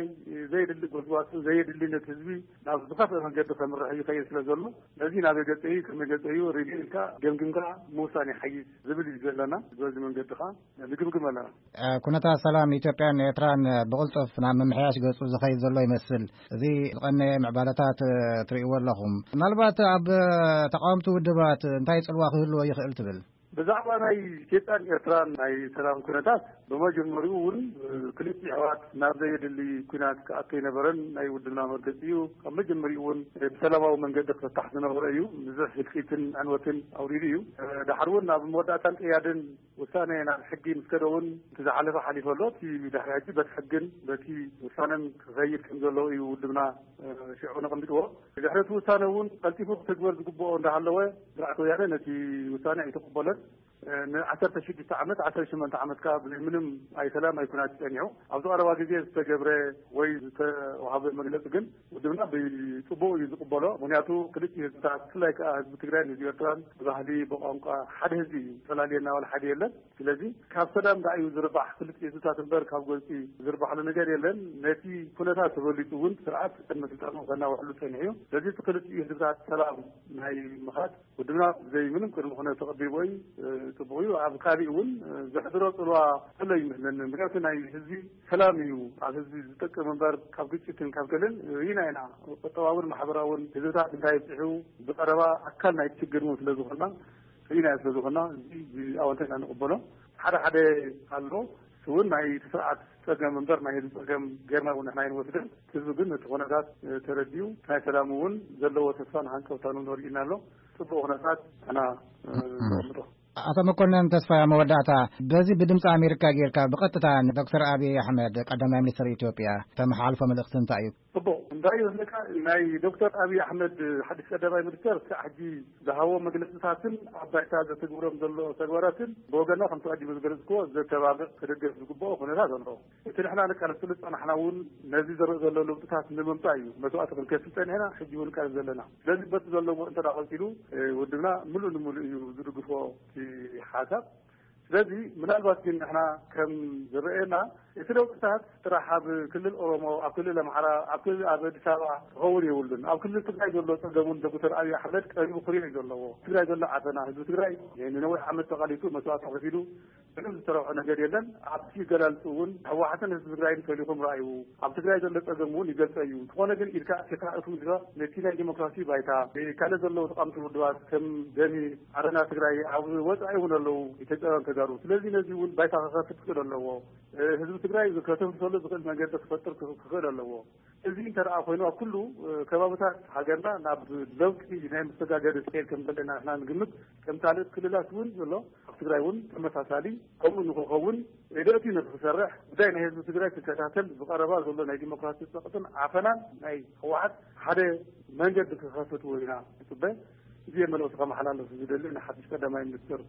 ዘየድሊ ጎስጓስን ዘየድሊ ነቲ ህዝቢ ናብ ዝኸፍአ መንገዲ ከምርሕ ይኸይድ ስለ ዘሎ፣ ነዚ ናበይ ገጸ እዩ፣ ከመይ ገጸ እዩ ሪቪው ኢልካ ገምጊምካ ምውሳን ይሓይሽ ዝብል እዩ ዘለና። በዚ መንገዲ ኸኣ ንግምግም ኣለና። እ፣ ኩነታት ሰላም ኢትዮጵያን ኤርትራን ብቕልጡፍ ናብ ምምሕያሽ ገጹ ዝኸይድ ዘሎ ይመስል። እዚ ዝቐነየ ምዕባለታት፣ እ፣ ትርእይዎ ኣለኹም። ምናልባት ኣብ ተቃወምቲ ውድባት እንታይ ጽልዋ ክህልዎ ይኽእል ትብል? ብዛዕባ ናይ ኢትዮጵያን ኤርትራን ናይ ሰላም ኩነታት፣ ብመጀመሪኡ እውን፣ እ፣ ክልቲኡ ኣሕዋት ናብ ዘየድሊ ኲናት ክኣቱ ኣይነበረን ናይ ውድብና መርገጺ እዩ። ካብ መጀመሪኡ እውን፣ እ፣ ብሰላማዊ መንገዲ ክፍታሕ ዝነበረ እዩ። ብዙሕ ህልቂትን ዕንወትን ኣውሪዱ እዩ። እ፣ ዳሕር እውን ናብ መወዳእታን ቅያድን ውሳነ ናብ ሕጊ ምስ ከደ እውን፣ እቲ ዝሓለፈ ሓሊፉ ኣሎ። እቲ ድሕሪ ሕጂ በቲ ሕግን በቲ ውሳነን ክኸይድ ከም ዘለዎ እዩ ውድብና፣ እ፣ ሽዑ ነቐሚጥዎ። ድሕሪ እቲ ውሳነ እውን ቀልጢፉ ክትግበር ዝግብኦ እንዳሃለወ፣ ስርዓት ወያነ ነቲ ውሳነ ኣይተቐበለን። እ፣ ንዓሰርተ ሽዱሽተ ዓመት፣ ዓሰርተ ሸሞንተ ዓመት ከኣ ብዘይ ምንም ኣይ ሰላም ኣይ ኩናት ጸኒሑ። ኣብዚ ቀረባ ግዜ ዝተገብረ ወይ ዝተዋሃበ መግለጺ ግን ውድብና ብጽቡቕ እዩ ዝቕበሎ። ምኽንያቱ ክልቲኡ ህዝብታት፣ ብፍላይ ከኣ ህዝቢ ትግራይን ህዝቢ ኤርትራን ብባህሊ፣ ብቋንቋ ሓደ ህዝቢ እዩ። ዝተፈላለየና ዋላ ሓደ የለን። ስለዚ ካብ ሰላም ደኣ እዩ ዝርባሕ ክልቲኡ ህዝብታት እምበር ካብ ጎንጺ ዝርባሕሉ ነገር የለን። ነቲ ኩነታት ተበሊጹ እውን ስርዓት ቅድመ ስልጣኑ ከናውሕሉ ጸኒሑ እዩ። ስለዚ እቲ ክልቲኡ ህዝብታት ሰላም ናይ ምኻድ ውድብና ብዘይ ምንም ቅድመ ኩነት ተቐቢልዎ እዩ። እ፣ ጽቡቕ እዩ። ኣብ ካሊእ እውን፣ እ፣ ዘሕድሮ ጽልዋ ዘሎ ይመስለኒ። ምኽንያቱ ናይ ህዝቢ ሰላም እዩ ኣብ ህዝቢ ዝጠቅም እምበር ካብ ግጭትን ካብ ገለን ርኢና ኢና። ቁጠባውን ማሕበራውን ህዝብታት እንታይ ኣብፂሑ ብቐረባ ኣካል ናይቲ ችግር እውን ስለ ዝኾንና፣ ርኢና ስለ ዝኾንና፣ እዚ ብኣወንታ ኢና ንቕበሎ። ሓደ ሓደ ኣሎ፣ እሱ እውን ናይ ስርዓት ጸገም እምበር ናይ ህዝቢ ጸገም ጌርና እውን ንሕና ኣይንወስድን። ህዝቢ ግን ነቲ ኩነታት፣ እ፣ ተረዲኡ ናይ ሰላም እውን ዘለዎ ተስፋን ሃንቀውታን እውን ወሪድና ኣሎ። ጽቡቕ ኩነታት ንሕና፣ እ፣ ንቕምጦ። ኣቶ መኮነን ተስፋይ፣ ኣብ መወዳእታ በዚ ብድምፂ ኣሜሪካ ጌርካ ብቐጥታ ንዶክተር ኣብይ ኣሕመድ ቀዳማይ ሚኒስትር ኢትዮጵያ ተመሓላልፎ መልእኽቲ እንታይ እዩ? ጽቡቕ። እንታይ እዩ ዝብለካ፣ ናይ ዶክተር ኣብይ ኣሕመድ ሓድሽ ቀዳማይ ሚኒስትር ክሳዕ ሕጂ ዝሃቦ መግለጽታትን ኣብ ባይታ ዘተግብሮም ዘሎ ተግባራትን ብወገና ከምቲ ቀዲሙ ዝገለጽክዎ ዘተባብዕ፣ ክድገፍ ዝግብኦ ኩነታት ኣሎ። እቲ ንሕና ነቃልሰሉ ዝጸናሕና እውን ነዚ ዝረእ ዘሎ ለውጥታት ንምምጻእ እዩ። መስዋእቲ ክንከፍል ጸኒሕና፣ ሕጂ እውን ንቃለስ ዘለና። ስለዚ በቲ ዘለዎ እንተ ደኣ ቀጺሉ፣ እ፣ ውድብና ምሉእ ንምሉእ እዩ ዝድግፎ እቲ ሓሳብ። ስለዚ ምናልባት ግን ንሕና ከም ዝረኣየና እቲ ለውጥታት ጥራሕ ኣብ ክልል ኦሮሞ፣ ኣብ ክልል ኣምሓራ፣ ኣብ ክልል ኣብ ኣዲስ ኣበባ ክኸውን የብሉን። ኣብ ክልል ትግራይ ዘሎ ጸገም እውን ዶክተር ኣብይ ኣሕመድ ቀሪቡ ክሪኦ እዩ ዘለዎ። ትግራይ ዘሎ ዓፈና፣ ህዝቢ ትግራይ ንነዊሕ ዓመት ተቓሊሱ መስዋእቲ ከፊሉ ምንም ዝተረፍዖ ነገር የለን። ኣብቲ ገላልጹ እውን ህወሓትን ህዝቢ ትግራይን ፈሊኹም ረኣዩ። ኣብ ትግራይ ዘሎ ጸገም እውን ይገልጸ እዩ። እንተኾነ ግን ኢድካ ኣእቲኻ እትም ኢልካ ነቲ ናይ ዲሞክራሲ ባይታ፣ ካልእ ዘለዉ ተቓምቲ ውድባት ከም ደሚ፣ ዓረና ትግራይ ኣብ ወጻኢ እውን ኣለዉ፣ ኢትዮጵያውያን ተጋሩ። ስለዚ ነዚ እውን ባይታ ክኸፍት ክኽእል ኣለዎ። ህዝቢ ትግራይ ከተንፍሰሉ ዝኽእል መንገዲ ክፈጥር ክኽእል ኣለዎ። እዚ እንተ ደኣ ኮይኑ ኣብ ኩሉ ከባብታት ሃገርና ናብ ለውጢ ናይ መሰጋገሪ ዝኸይድ ከም ዘለና ንሕና ንግምት። ከም ካልኦት ክልላት እውን ዘሎ ኣብ ትግራይ እውን ተመሳሳሊ ከምኡ ንክኸውን ርእይቶኡ ንክሰርሕ ጉዳይ ናይ ህዝቢ ትግራይ ክከታተል ብቐረባ ዘሎ ናይ ዲሞክራሲ ጸቕጥን ዓፈናን ናይ ህወሓት ሓደ መንገዲ ክኸፍት እውን ኢና ንጽበ። እዚ እየ መልእኽቲ ከመሓላልፍ ዝደሊ ንሓድሽ ቀዳማይ ሚኒስትር።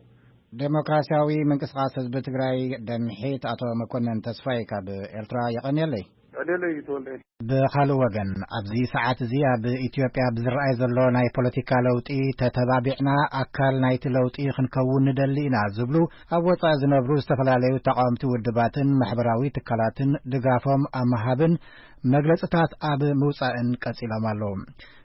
ዴሞክራሲያዊ ምንቅስቃስ ህዝቢ ትግራይ ደምሒት ኣቶ መኮነን ተስፋይ ካብ ኤርትራ የቐንየለይ። ዕልልይ ተወልደ። ብኻልእ ወገን፣ ኣብዚ ሰዓት እዚ ኣብ ኢትዮጵያ ብዝረኣይ ዘሎ ናይ ፖለቲካ ለውጢ ተተባቢዕና ኣካል ናይቲ ለውጢ ክንከውን ንደሊ ኢና ዝብሉ ኣብ ወጻኢ ዝነብሩ ዝተፈላለዩ ተቃወምቲ ውድባትን ማሕበራዊ ትካላትን ድጋፎም ኣብ ምሃብን መግለጽታት ኣብ ምውጻእን ቀጺሎም ኣለዉ።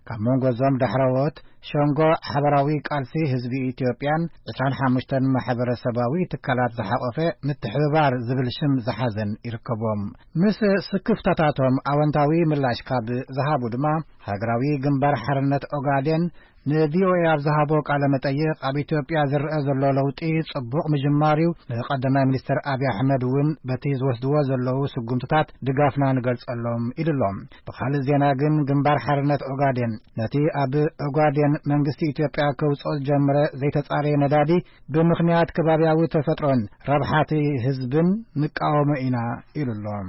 ካብ መንጎ እዞም ዳሕረዎት፣ ሸንጎ ሓበራዊ ቃልሲ ህዝቢ ኢትዮጵያን ዕስራን ሓሙሽተን ማሕበረሰባዊ ትካላት ዝሓቖፈ ምትሕብባር ዝብል ሽም ዝሓዘን ይርከቦም። ምስ ስክፍታታቶም ኣወንታዊ ምላሽ ካብ ዝሃቡ ድማ፣ ሃገራዊ ግንባር ሓርነት ኦጋዴን ን ቪ ኦ ኤ ኣብ ዝሃቦ ቃለ መጠይቕ፣ ኣብ ኢትዮጵያ ዝረኣ ዘሎ ለውጢ ጽቡቕ ምጅማር እዩ። ንቀዳማይ ሚኒስትር ኣብይ ኣሕመድ እውን በቲ ዝወስድዎ ዘለዉ ስጉምትታት ድጋፍና ንገልጸሎም ኢሉ ኣሎ። ብኻልእ ዜና ግን፣ ግንባር ሓርነት ኦጋዴን ነቲ ኣብ ኦጋዴን መንግስቲ ኢትዮጵያ ከውጽኦ ዝጀመረ ዘይተጻረየ ነዳዲ ብምኽንያት ከባብያዊ ተፈጥሮን ረብሓ እቲ ህዝብን ንቃወሞ ኢና ኢሉ ኣሎ።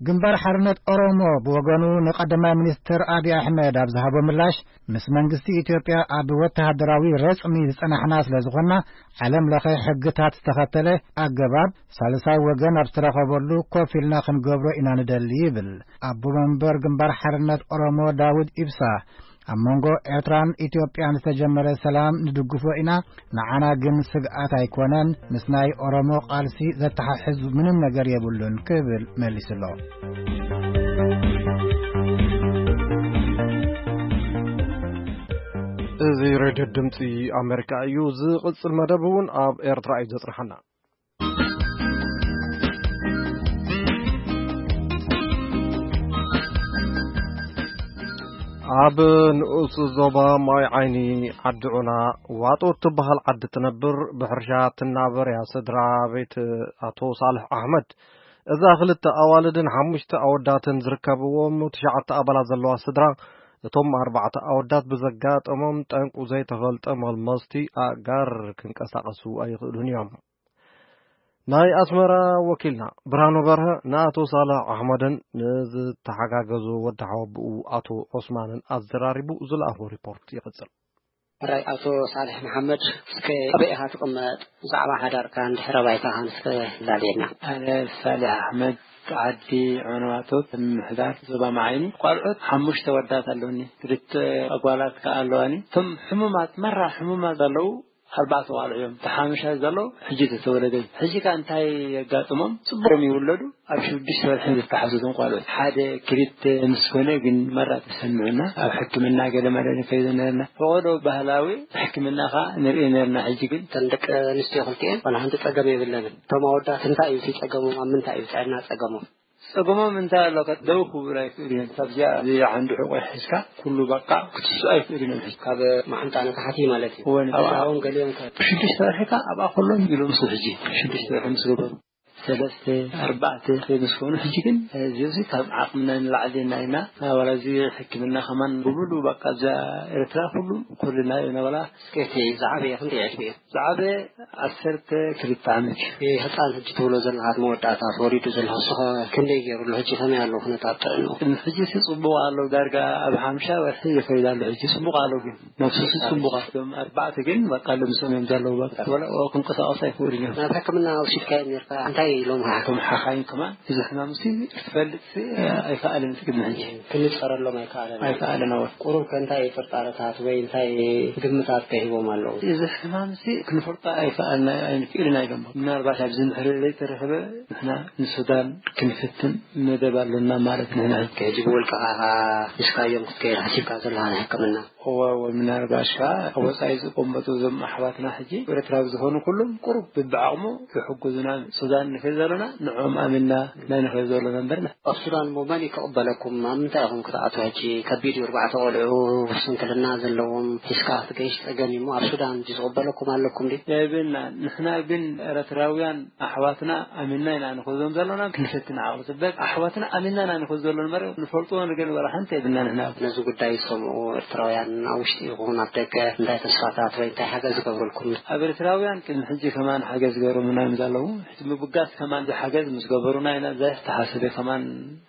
ግንባር ሓርነት ኦሮሞ ብወገኑ፣ ንቀዳማይ ሚኒስትር ኣብይ ኣሕመድ ኣብ ዝሃቦ ምላሽ፣ ምስ መንግስቲ ኢትዮጵያ ኣብ ወተሃደራዊ ረጽሚ ዝጸናሕና ስለ ዝኾንና፣ ዓለም ለኸ ሕግታት ዝተኸተለ ኣገባብ ሳልሳይ ወገን ኣብ ዝተረኸበሉ ኮፍ ኢልና ክንገብሮ ኢና ንደሊ ይብል። ኣቦ መንበር ግንባር ሓርነት ኦሮሞ ዳውድ ኢብሳ፣ ኣብ መንጎ ኤርትራን ኢትዮጵያን ዝተጀመረ ሰላም ንድግፎ ኢና፣ ንዓና ግን ስግኣት ኣይኮነን፣ ምስ ናይ ኦሮሞ ቃልሲ ዘተሓሕዝ ምንም ነገር የብሉን ክብል መሊሱ ኣሎ። እዚ ሬድዮ ድምፂ ኣሜሪካ እዩ። ዝቕፅል መደብ እውን ኣብ ኤርትራ እዩ ዘፅንሓና። ኣብ ንኡስ ዞባ ማይ ዓይኒ ዓዲ ዑና ዋጦ እትበሃል ዓዲ ትነብር ብሕርሻ ትናበር እያ ስድራ ቤት ኣቶ ሳልሕ ኣሕመድ። እዛ ክልተ ኣዋልድን ሓሙሽተ ኣወዳትን ዝርከብዎም ትሽዓተ ኣባላት ዘለዋ ስድራ፣ እቶም ኣርባዕተ ኣወዳት ብዘጋጠሞም ጠንቁ ዘይተፈልጠ መልመስቲ ኣእጋር ክንቀሳቐሱ ኣይኽእሉን እዮም። ናይ ኣስመራ ወኪልና ብርሃኑ በርሀ ንኣቶ ሳልሕ ኣሕመድን ንዝተሓጋገዙ ወዲ ሓወብኡ ኣቶ ዑስማንን ኣዘራሪቡ ዝለኣኾ ሪፖርት ይቕጽል። ሕራይ ኣቶ ሳልሕ መሓመድ፣ እስከ ኣበይ ኢኻ ትቕመጥ? ብዛዕባ ሓዳርካን ድሕረ ባይታኻን እስከ ላልየና። ኣነ ሳልሕ ኣሕመድ፣ ዓዲ ዑናዋቶ፣ ምምሕዳር ዞባ መዓይኒ። ቋልዑት ሓሙሽተ ወዳት ኣለውኒ፣ ክልተ ኣጓላት ከኣ ኣለዋኒ። እቶም ሕሙማት፣ መራ ሕሙማት ዘለዉ ኣርባዕተ ቋልዑ እዮም። እቲ ሓሙሻይ ዘሎ ሕጂ ዝተወለደ እዩ። ሕጂ ከኣ እንታይ የጋጥሞም? ጽቡቕ እዮም ይውለዱ። ኣብ ሽዱሽተ ወርሒ ዝተሓዙ እዞም ቋልዑ፣ ሓደ ክልተ ምስ ኮነ ግን መራ ተሰምዑና፣ ኣብ ሕክምና ገለ መለ ንከይዶ ነርና። ፈቐዶ ባህላዊ ሕክምና ከኣ ንርኢ ነርና። ሕጂ ግን እተን ደቂ ኣንስትዮ ክልቲኤን ዋላ ሓንቲ ጸገም የብለንን። እቶም ኣወዳት እንታይ እዩ እቲ ጸገሞም? ኣብ ምንታይ እዩ ጥዕና ጸገሞም? ጸገሞም እንታይ ኣሎ? ከ-፣ ደው ክብሉ ኣይክእሉ እዮም። ካብዚኣ፣ እዚ ዓንዲ ሕቆ ሒዝካ ኩሉ በቃ ክትስኡ ኣይክእሉ እዮም። ሕጂ ካብ መሓንጣ ንታሕቲ ማለት እዩ። እወ፣ ኣብኣ እውን ገሊኦም ከ- ሽዱሽተ ወርሒ ከ ኣብኣ ከሎ ኢሎም ምስ ሕጂ ሽዱሽተ ወርሒ ምስ ገበሩ፣ ሰለስተ፣ ኣርባዕተ ምስ ኮኑ፣ ሕጂ ግን፣ እዚ፣ እዚ ካብ ዓቕምና ንላዕሊ ኢና ኢና። ዋላ እዚ ሕክምና ከማን ብሙሉ በቃ እዛ ኤርትራ ኩሉ ኩልና ኢና። ዋላ እስከ እቲ ዝዓበየ ክንደይ ዕድመ እዩ? ዝዓበየ ዓሰርተ ክልተ ዓመት እዩ። ህፃን ሕጂ ትብሎ ዘለኻ መወዳእታ ተወሊዱ ዘሎ ንሱ ኸ ክንደይ ገይሩ ኣሎ? ሕጂ ከመይ ኣሎ ኩነታት ጥዕንኡ? ሕጂ ሲ ጽቡቕ ኣሎ፣ ዳርጋ ኣብ ሓምሻ ወርሒ ይኸይድ ኣሎ። ሕጂ ጽቡቕ ኣሎ፣ ግን ነብሱሲ ጽቡቕ ኣሎ። እቶም ኣርባዕተ ግን በቃ ልምሶም እዮም ዘለዉ። በቃ ወላ ክንቀሳቐሱ ኣይክእሉን እዮም። ናብ ሕክምና ወሲድካዮም ነርካ? እንታይ ኢሎም? እቶም ሓኻይም ከማን እዚ ሕማም ሲ ክትፈልጥ ሲ ኣይከኣልን ቅድሚ ሕጂ። ክንጸረሎም ኣይከኣለን። ኣይከኣልን፣ ኣወ። ቁሩብ ከ እንታይ ጥርጣረታት ወይ እንታይ ግምታት ከ ሂቦም ኣለዉ? እዚ ሕማም ሲ ክንፈልጦ ኣይከኣልና፣ ኣይንክእልን ኣይደሞ። ምናልባት ኣብዚ ምሕሪ ዘይተረኸበ ንሕና ንሱዳን ክንፍትን መደብ ኣሎና ማለት ንሕና። ሕጂ ብውልቅኻ ሒዝካዮም ክትከይድ ሓሲብካ ዘለኻ ንሕክምና? እወ፣ እወ፣ ምናልባት ከኣ ኣብ ወጻኢ ዝቀመጡ እዞም ኣሕዋትና ሕጂ ኤርትራዊ ዝኾኑ ኩሎም ቁሩብ ብብዓቕሙ ይሕግዙና። ሱዳን ንኸይድ ዘለና ንዕኦም ኣሚንና ናይ ንኸይድ ዘለና እምበር። ኣብ ሱዳን እሞ መን እዩ ክቕበለኩም? ኣብ ምንታይ ኢኹም ክትኣትዉ? ሕጂ ከቢድ እዩ። ኣርባዕተ ቆልዑ፣ ስንክልና ዘለዎም ሒዝካ ክትገይሽ ጸገም እዩ እሞ ኣብ ሱዳን ድዩ ዝቕበለኩም ኣለኩም ድዩ? የብልና። ንሕና ግን ኤርትራውያን ኣሕዋትና ኣሚንና ኢና ንኸዶም ዘለና፣ ክንፈትን ዓቕሊ ጽበት ኣሕዋትና ኣሚንና ኢና ንኸዶ ዘለና እምበር ንፈልጥዎ ነገር ወላ ሓንቲ የብልና ንሕና። ነዚ ጉዳይ ዝሰምዑ ኤርትራውያን ኣብ ውሽጢ ይኹን ኣብ ደገ እንታይ ተስፋታት ወይ እንታይ ሓገዝ ዝገብሩልኩም? ኣብ ኤርትራውያን ቅድሚ ሕጂ ከማን ሓገዝ ዝገብሩልና እዮም ዘለዉ። ሕጂ ምብጋስ ከማን ዝሓገዝ ምስ ገበሩና ኢና ዘተሓሰበ ከማን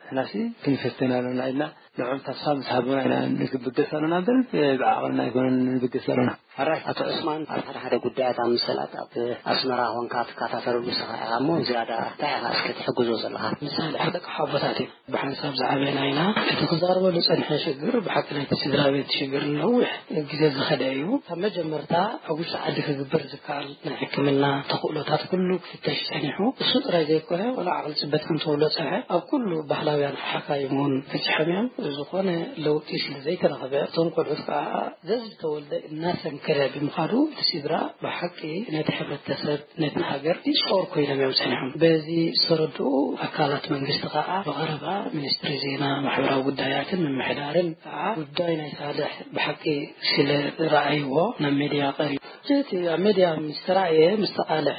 ንሕናሲ ክንፈትን ኣለና ኢልና ንዕኦም ተስፋ ምስ ሃቡና ኢና ንብገስ ኣለና እምበር ብዓቕልና ኣይኮነን ንብገስ ኣለና። ሕራይ ኣቶ ዑስማን፣ ኣብ ሓደ ሓደ ጉዳያት ኣብ መሰላት ኣብ ኣስመራ ኾንካ ትከታተለሉ ንስኻ ኢኻ እሞ፣ ዝያዳ እንታይ ኢኻ እስከ ትሕግዞ ዘለኻ? ምሳሌ፣ ደቂ ሓቦታት እዮም። ብሓንሳብ ዝዓበና ኢና። እቲ ክዛረበሉ ዝጸንሐ ሽግር ብሓቂ ናይቲ ስድራ ቤት ሽግር ነዊሕ ግዜ ዝኸደ እዩ። ካብ መጀመርታ ኣብ ውሽጢ ዓዲ ክግበር ዝከኣል ናይ ሕክምና ተኽእሎታት ኩሉ ክፍተሽ ጸኒሑ። እሱ ጥራይ ዘይኮነ፣ ወላ ዓቕሊ ጽበት ከም ተብሎ ጸንሐ፣ ኣብ ኩሉ ባህላዊ ሓካይም እውን በፂሖም እዮም። ዝኾነ ለውጢ ስለ ዘይተረኸበ፣ እቶም ቆልዑት ከዓ ዘዝተወልደ እናሰንከረ ብምዃዱ፣ እቲ ስድራ ብሓቂ ነቲ ሕብረተሰብ፣ ነቲ ሃገር ይፀወር ኮይኖም እዮም ፀኒሖም። በዚ ዝተረድኡ ኣካላት መንግስቲ ከዓ ብቐረባ ሚኒስትሪ ዜና፣ ማሕበራዊ ጉዳያትን ምምሕዳርን ከዓ ጉዳይ ናይ ሳልሕ ብሓቂ ስለ ረኣይዎ ናብ ሜድያ ቀሪቡ። እቲ ኣብ ሜድያ ምስ ተራእየ፣ ምስ ተቓልሐ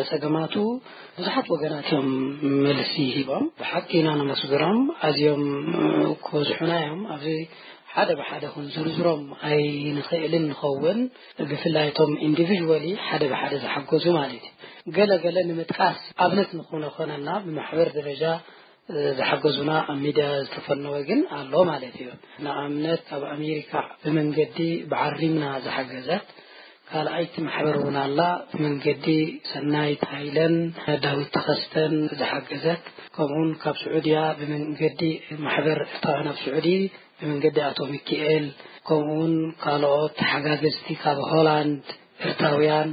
ጸገማቱ ብዙሓት ወገናት እዮም መልሲ ሂቦም። ብሓቂ ኢና ነመስግኖም። ኣዝዮም ክበዝሑና እዮም። ኣብዚ ሓደ ብሓደ ክንዝርዝሮም ኣይንኽእልን ንኸውን። ብፍላይ እቶም ኢንዲቪዥዋሊ ሓደ ብሓደ ዝሓገዙ ማለት እዩ። ገለ ገለ ንምጥቃስ ኣብነት ንኹነ ኮነና ብማሕበር ደረጃ ዝሓገዙና ኣብ ሚድያ ዝተፈነወ ግን ኣሎ ማለት እዩ። ንኣብነት ኣብ ኣሜሪካ ብመንገዲ ብዓሪምና ዝሓገዘት ካልኣይቲ ማሕበር እውን ኣላ። ብመንገዲ ሰናይት ሃይለን ዳዊት ተኸስተን ዝሓገዘት፣ ከምኡውን ካብ ስዑድያ ብመንገዲ ማሕበር ኤርትራውያን ኣብ ስዑዲ ብመንገዲ ኣቶ ሚኪኤል፣ ከምኡውን ካልኦት ተሓጋገዝቲ ካብ ሆላንድ ኤርትራውያን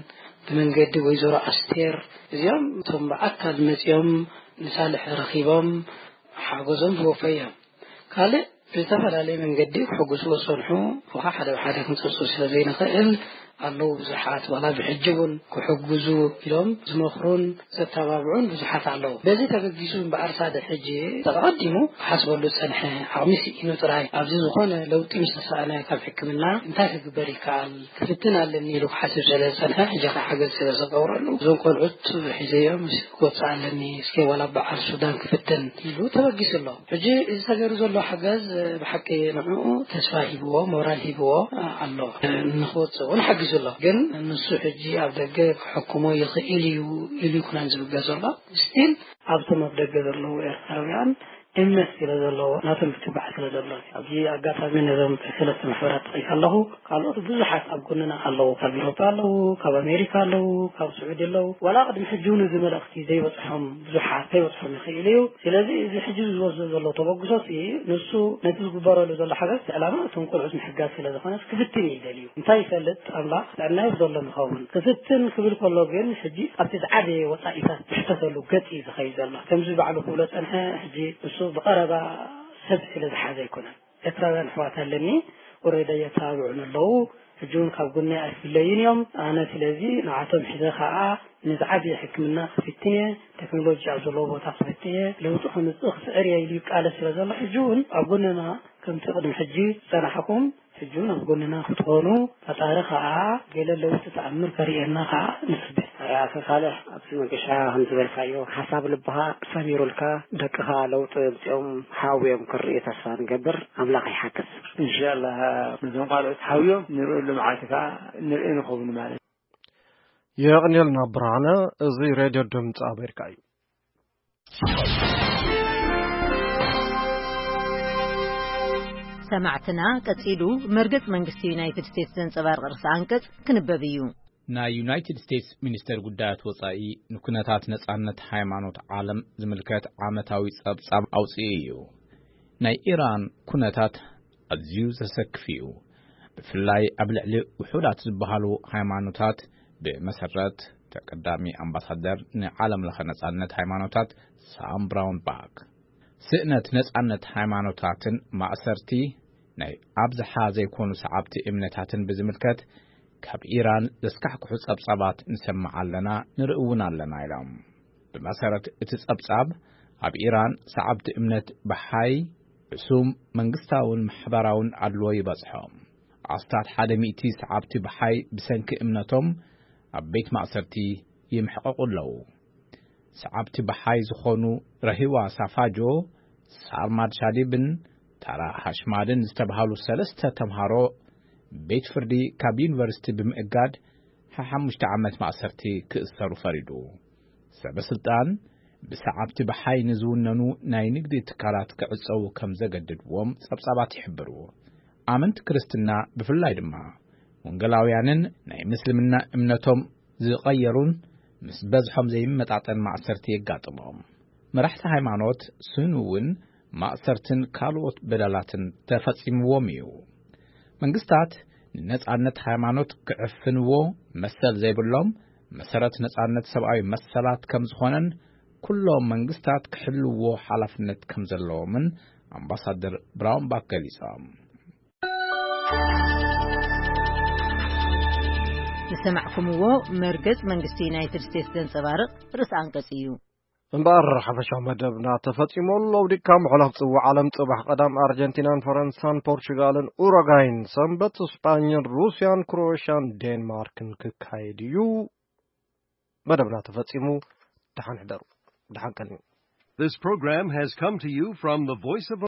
ብመንገዲ ወይዘሮ ኣስቴር፣ እዚኦም እቶም ብኣካል መጺኦም ንሳልሕ ረኺቦም ሓገዞም ዝወፈዩ እዮም። ካልእ ብዝተፈላለየ መንገዲ ክሕግዝዎ ዝጸንሑ፣ እኳ ሓደ ብሓደ ክንጸርጾ ስለ ዘይንኽእል ኣለዉ ብዙሓት፣ ዋላ ብሕጂ እውን ክሕግዙ ኢሎም ዝመኽሩን ዘተባብዑን ብዙሓት ኣለዉ። በዚ ተበጊሱ እምበኣር ሳልሕ ሕጂ ተቐዲሙ ክሓስበሉ ዝጸንሐ ዓቕሚ ስኢኑ ጥራይ፣ ኣብዚ ዝኾነ ለውጢ ምስ ተሳእነ ካብ ሕክምና እንታይ ክግበር ይከኣል ክፍትን ኣለኒ ኢሉ ክሓስብ ስለ ዝጸንሐ፣ ሕጂ ኸዓ ሓገዝ ስለ ዝገብረሉ፣ እዞም ቆልዑት ሒዘዮም ክወጽእ ኣለኒ፣ እስከ ዋላ በዓል ሱዳን ክፍትን ኢሉ ተበጊሱ ኣሎ። ሕጂ እዚ ተገይሩ ዘሎ ሓገዝ ብሓቂ ንዕኡ ተስፋ ሂብዎ፣ ሞራል ሂብዎ ኣሎ። ንኽወጽእ እውን ሓጊዙ ኣሎ። ግን ንሱ ሕጂ ኣብ ደገ ክሕክሞ ይኽእል እዩ ኢሉ ይኩነን ዝብገ ዘሎ። ስቲል ኣብቶም ኣብ ደገ ዘለዉ ኤርትራውያን እምነት ስለ ዘለዎ፣ ናቶም ክትባዕ ስለ ዘሎ። ኣብዚ ኣጋጣሚ ነዞም ሰለስተ ማሕበራት ጠቒሰ ኣለኹ። ካልኦት ብዙሓት ኣብ ጎንና ኣለዉ። ካብ ኤውሮጳ ኣለዉ፣ ካብ ኣሜሪካ ኣለዉ፣ ካብ ስዑዲ ኣለዉ። ዋላ ቅድሚ ሕጂ እውን እዚ መልእኽቲ ዘይበጽሖም ብዙሓት ከይበጽሖም ይኽእል እዩ። ስለዚ እዚ ሕጂ ዝወስዶ ዘሎ ተበግሶ ሲ፣ ንሱ ነቲ ዝግበረሉ ዘሎ ሓገዝ፣ እቲ ዕላማ እቶም ቆልዑት ምሕጋዝ ስለ ዝኾነ ክፍትን እዩ ደልዩ። እንታይ ይፈልጥ ኣምላኽ፣ ጥዕና ይብዘሎም ይኸውን። ክፍትን ክብል ከሎ ግን፣ ሕጂ ኣብቲ ዝዓበየ ወጻኢታት ዝሕተተሉ ገጽ እዩ ዝኸይድ ዘሎ። ከምዚ ባዕሉ ክብሎ ጸንሐ፣ ሕጂ እሱ ብቐረባ ሰብ ስለ ዝሓዘ ኣይኮነን። ኤርትራውያን ኣሕዋት ኣለኒ፣ ወረዳ የተባብዑን ኣለዉ። ሕጂ እውን ካብ ጎነይ ኣይፍለዩን እዮም። ኣነ ስለዚ ንዓቶም ሒዘ ከኣ ንዝዓበየ ሕክምና ክፍትን እየ፣ ቴክኖሎጂ ኣብ ዘለዎ ቦታ ክፍትን እየ፣ ለውጢ ከምጽእ ክጽዕር እየ ኢሉ ይቃለስ ስለ ዘሎ፣ ሕጂ እውን ኣብ ጎንና ከምቲ ቅድሚ ሕጂ ዝጸናሕኩም፣ ሕጂ እውን ኣብ ጎንና ክትኾኑ፣ ፈጣሪ ከኣ ገለ ለውጢ ተኣምር ከርእየና ከኣ ንጽበ። ኣቶ ሳልሕ፣ ኣብቲ መገሻ ከም ዝበልካዮ፣ ሓሳብ ልብኻ ሰሚሩልካ፣ ደቅኻ ለውጢ ኣምጺኦም ሓውዮም ክርእዩ ተስፋ ንገብር። ኣምላኽ ይሓግዝ። ኢንሻላህ፣ ነዞም ካልኦት ሓውዮም ንርእየሉ መዓልቲ ከኣ ንርኢ ንኸውን ማለት። የቕንየልና ብርሃነ። እዚ ሬድዮ ድምፂ ኣሜሪካ እዩ። ሰማዕትና፣ ቀጺሉ መርገጽ መንግስቲ ዩናይትድ ስቴትስ ዘንጸባርቕ ርእሰ ኣንቀጽ ክንበብ እዩ። ናይ ዩናይትድ ስቴትስ ሚኒስተር ጉዳያት ወጻኢ ንኩነታት ነጻነት ሃይማኖት ዓለም ዝምልከት ዓመታዊ ጸብጻብ ኣውጺኡ እዩ። ናይ ኢራን ኩነታት ኣዝዩ ዘሰክፍ እዩ። ብፍላይ ኣብ ልዕሊ ውሑዳት ዝበሃሉ ሃይማኖታት፣ ብመሰረት ተቀዳሚ ኣምባሳደር ንዓለም ለኸ ነጻነት ሃይማኖታት ሳም ብራውን ባክ፣ ስእነት ነጻነት ሃይማኖታትን ማእሰርቲ ናይ ኣብዝሓ ዘይኮኑ ሰዓብቲ እምነታትን ብዝምልከት ካብ ኢራን ዘስካሕክሑ ጸብጻባት ንሰምዕ ኣለና፣ ንርኢ እውን ኣለና ኢሎም። ብመሰረት እቲ ጸብጻብ፣ ኣብ ኢራን ሰዓብቲ እምነት ብሓይ ሕሱም መንግስታውን ማሕበራውን ኣድልዎ ይበጽሖም። ኣስታት ሓደ ሚእቲ ሰዓብቲ ብሓይ ብሰንኪ እምነቶም ኣብ ቤት ማእሰርቲ ይምሕቐቑ ኣለዉ። ሰዓብቲ ብሓይ ዝኾኑ ረሂዋ ሳፋጆ፣ ሳርማድ ሻዲብን ታራ ሃሽማድን ዝተብሃሉ ሰለስተ ተምሃሮ ቤት ፍርዲ ካብ ዩኒቨርሲቲ ብምእጋድ ሓሓሙሽተ ዓመት ማእሰርቲ ክእሰሩ ፈሪዱ። ሰበ ስልጣን ብሰዓብቲ ብሓይ ንዝውነኑ ናይ ንግዲ ትካላት ክዕጸዉ ከም ዘገድድዎም ጸብጻባት ይሕብሩ። ኣመንቲ ክርስትና ብፍላይ ድማ ወንጌላውያንን ናይ ምስልምና እምነቶም ዝቐየሩን ምስ በዝሖም ዘይመጣጠን ማእሰርቲ የጋጥሞም። መራሕቲ ሃይማኖት ስኑ እውን ማእሰርትን ካልኦት በደላትን ተፈጺምዎም እዩ። መንግስታት ንነጻነት ሃይማኖት ክዕፍንዎ መሰል ዘይብሎም፣ መሰረት ነጻነት ሰብኣዊ መሰላት ከም ዝኾነን ኩሎም መንግስታት ክሕልዎ ሓላፍነት ከም ዘለዎምን ኣምባሳደር ብራውንባክ ገሊጾም። ዝሰማዕኩምዎ መርገጽ መንግስቲ ዩናይትድ ስቴትስ ዘንጸባርቕ ርእሲ ኣንቀጽ እዩ። እምበኣር ሓፈሻዊ መደብና ተፈጺሙ ኣሎ። ውዲካ ምሕላፍ ጽዋዕ ዓለም ጽባሕ ቀዳም ኣርጀንቲናን ፈረንሳን ፖርቹጋልን ኡሩጋይን፣ ሰንበት ስጳኝን ሩስያን ክሮኤሽያን ዴንማርክን ክካየድ እዩ። መደብና ተፈጺሙ። ደሓን ሕደሩ። ደሓን ቀንዩ። This program has come to you from the Voice of